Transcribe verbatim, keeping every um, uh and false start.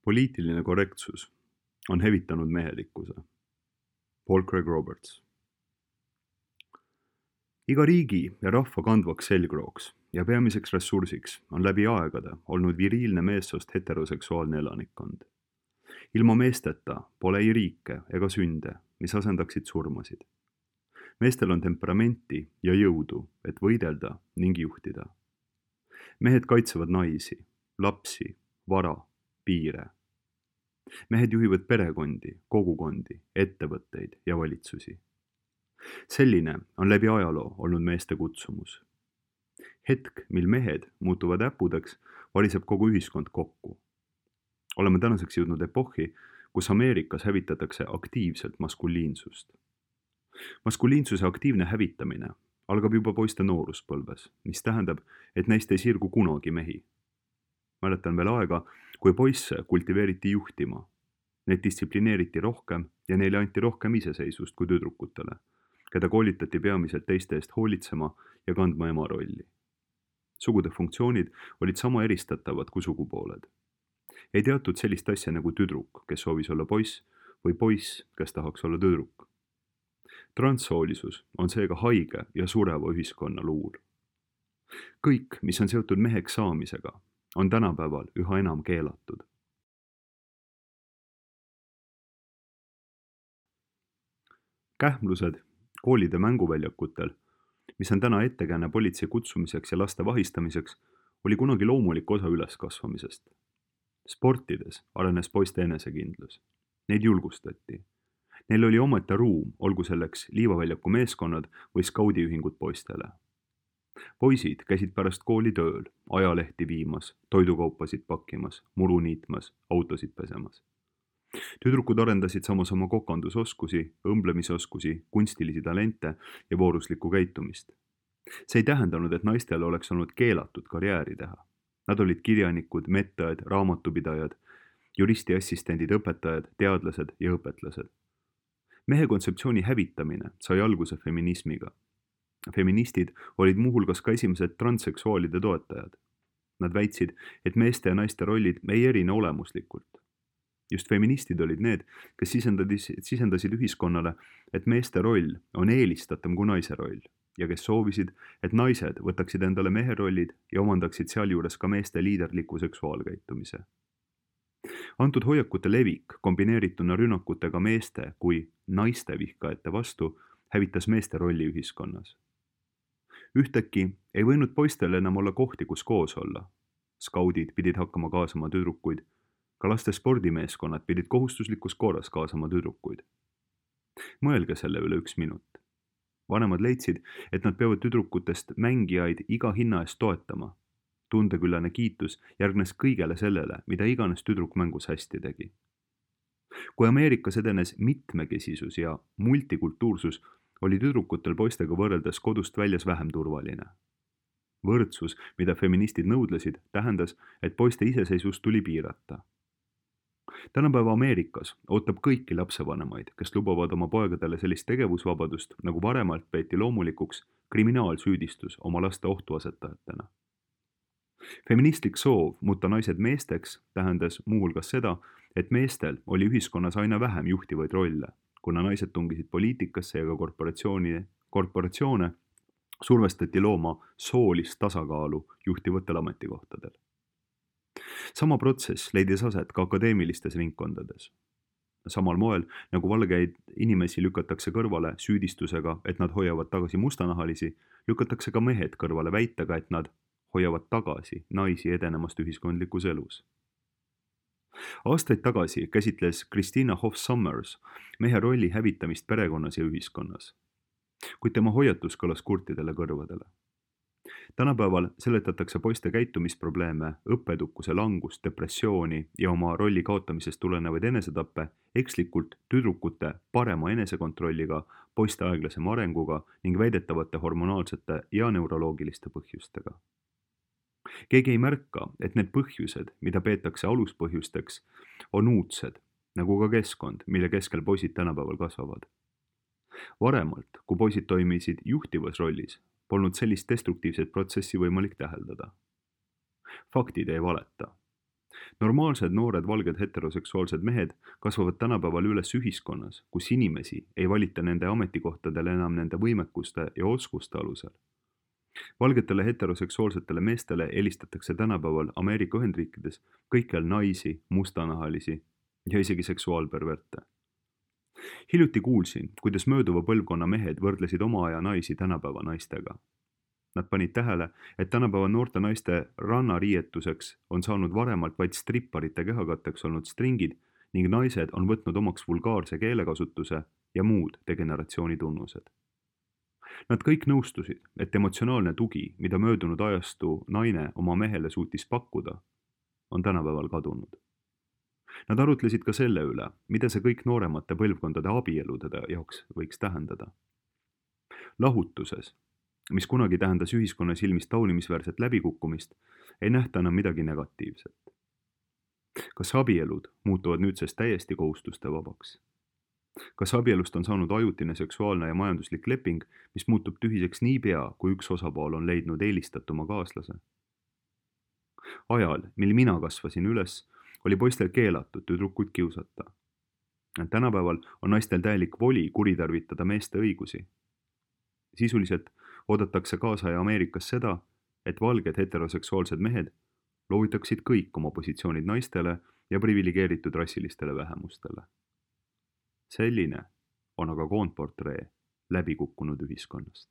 Poliitiline korrektsus on hävitanud mehelikkuse. Paul Craig Roberts. Iga riigi ja rahva kandvaks selgrooks ja peamiseks ressursiks on läbi aegade olnud viriilne meessoost heteroseksuaalne elanikkond. Ilma meesteta pole ei riike ega sünde, mis asendaksid surmasid. Meestel on temperamenti ja jõudu, et võidelda ning juhtida. Mehed kaitsevad naisi, lapsi, vara, piire. Mehed juhivad perekondi, kogukondi, ettevõtteid ja valitsusi. Selline on läbi ajaloo olnud meeste kutsumus. Hetk, mil mehed muutuvad äpudeks, variseb kogu ühiskond kokku. Oleme tänaseks jõudnud epohhi, kus Ameerikas hävitatakse aktiivselt maskuliinsust. Maskuliinsuse aktiivne hävitamine algab juba poiste nooruspõlves, mis tähendab, et neist ei sirgu kunagi mehi. Mäletan veel aega, kui poisse kultiveeriti juhtima. Neid distsiplineeriti rohkem ja neile anti rohkem iseseisvust kui tüdrukutele, keda koolitati peamiselt teiste eest hoolitsema ja kandma ema rolli. Sugude funktsioonid olid sama eristatavad kui sugupooled. Ei teatud sellist asja nagu tüdruk, kes soovis olla poiss, või poiss, kes tahaks olla tüdruk. Transsoolisus on seega haige ja sureva ühiskonna luur. Kõik, mis on seotud meheks saamisega, on tänapäeval üha enam keelatud. Kähmlused koolide mänguväljakutel, mis on täna ettekääne politsei kutsumiseks ja laste vahistamiseks, oli kunagi loomulik osa üleskasvamisest. Sportides arenes poiste enesekindlus. Neid julgustati. Neil oli omata ruum, olgu selleks liivaväljaku meeskonnad või skaudiühingud poistele. Poisid käisid pärast kooli tööl, ajalehti viimas, toidukaupasid pakkimas, muru niitmas, autosid pesemas. Tüdrukud arendasid samas oma kokandusoskusi, õmblemisoskusi, kunstilisi talente ja vooruslikku käitumist. See ei tähendanud, et naistel oleks olnud keelatud karjääri teha. Nad olid kirjanikud, medõed, raamatupidajad, juristi assistendid, õpetajad, teadlased ja õpetlased. Mehe kontseptsiooni hävitamine sai alguse feminismiga. Feministid olid muuhulgas ka esimesed transseksuaalide toetajad. Nad väitsid, et meeste ja naiste rollid ei erine olemuslikult. Just feministid olid need, kes sisendasid ühiskonnale, et meeste roll on eelistatum kui naise roll ja kes soovisid, et naised võtaksid endale mehe rollid ja omandaksid sealjuures ka meeste liiderliku seksuaalkäitumise. Antud hoiakute levik kombineerituna rünnakutega meeste kui naiste vihkajate vastu hävitas meeste rolli ühiskonnas. Ühtäkki ei võinud poistel enam olla kohti, kus koos olla. Skaudid pidid hakkama kaasama tüdrukuid, ka laste spordimeeskonnad pidid kohustuslikus korras kaasama tüdrukuid. Mõelge selle üle üks minut. Vanemad leidsid, et nad peavad tüdrukutest mängijaid iga hinna eest toetama. Tundeküllane kiitus järgnes kõigele sellele, mida iganes tüdruk mängus hästi tegi. Kui Ameerikas edenes mitmekesisus ja multikultuursus, oli tüdrukutel poistega võrreldes kodust väljas vähem turvaline. Võrdsus, mida feministid nõudlesid, tähendas, et poiste iseseisvust tuli piirata. Tänapäeva Ameerikas ootab kõiki lapsevanemaid, kes lubavad oma poegadele sellist tegevusvabadust, nagu varemalt peeti loomulikuks kriminaalsüüdistus oma laste ohtu asetajatena. Feministlik soov muuta naised meesteks tähendas muuhulgas seda, et meestel oli ühiskonnas aina vähem juhtivaid rolle, kuna naised tungisid poliitikasse ja ka korporatsiooni, korporatsioone survestati looma soolist tasakaalu juhtivatel ametikohtadel. Sama protsess leidis aset ka akadeemilistes ringkondades. Samal moel, nagu valgeid inimesi lükatakse kõrvale süüdistusega, et nad hoiavad tagasi mustanahalisi, lükatakse ka mehed kõrvale väitega, et nad hoiavad tagasi naisi edenemast ühiskondlikus elus. Aastaid tagasi käsitles Christina Hoff Sommers mehe rolli hävitamist perekonnas ja ühiskonnas, kuid tema hoiatus kõlas kurtidele kõrvadele. Tänapäeval seletatakse poiste käitumisprobleeme, õppetukuse langust, depressiooni ja oma rolli kaotamisest tulenevaid enesetappe ekslikult tüdrukute parema enesekontrolliga, poiste aeglasema arenguga ning väidetavate hormonaalsete ja neuroloogiliste põhjustega. Keegi ei märka, et need põhjused, mida peetakse aluspõhjusteks, on uudsed, nagu ka keskkond, mille keskel poisid tänapäeval kasvavad. Varemalt, kui poisid toimisid juhtivas rollis, polnud sellist destruktiivset protsessi võimalik täheldada. Faktid ei valeta. Normaalsed noored valged heteroseksuaalsed mehed kasvavad tänapäeval üles ühiskonnas, kus inimesi ei valita nende ametikohtadele enam nende võimekuste ja oskuste alusel. Valgetele heteroseksuaalsetele meestele eelistatakse tänapäeval Ameerika Ühendriikides kõikjal naisi, mustanahalisi ja isegi seksuaalperverte. Hiljuti kuulsin, kuidas mööduva põlvkonna mehed võrdlesid oma aja naisi tänapäeva naistega. Nad panid tähele, et tänapäeva noorte naiste rannariietuseks on saanud varemalt vaid stripparite kehakatteks olnud stringid ning naised on võtnud omaks vulgaarse keelekasutuse ja muud degeneratsiooni tunnused. Nad kõik nõustusid, et emotsionaalne tugi, mida möödunud ajastu naine oma mehele suutis pakkuda, on tänapäeval kadunud. Nad arutlesid ka selle üle, mida see kõik nooremate põlvkondade abielude jaoks võiks tähendada. Lahutuses, mis kunagi tähendas ühiskonna silmis taunimisväärset läbikukkumist, ei nähta enam midagi negatiivset. Kas abielud muutuvad nüüdsest täiesti kohustuste vabaks? Kas abielust on saanud ajutine seksuaalne ja majanduslik leping, mis muutub tühiseks niipea, kui üks osapool on leidnud eelistatuma kaaslase? Ajal, mil mina kasvasin üles, oli poistel keelatud tüdrukuid kiusata. Tänapäeval on naistel täielik voli kuritarvitada meeste õigusi. Sisuliselt oodatakse kaasaja Ameerikas seda, et valged heteroseksuaalsed mehed loovitaksid kõik oma positsioonid naistele ja priviligeeritud rassilistele vähemustele. Selline on aga koondportree läbikukkunud ühiskonnast.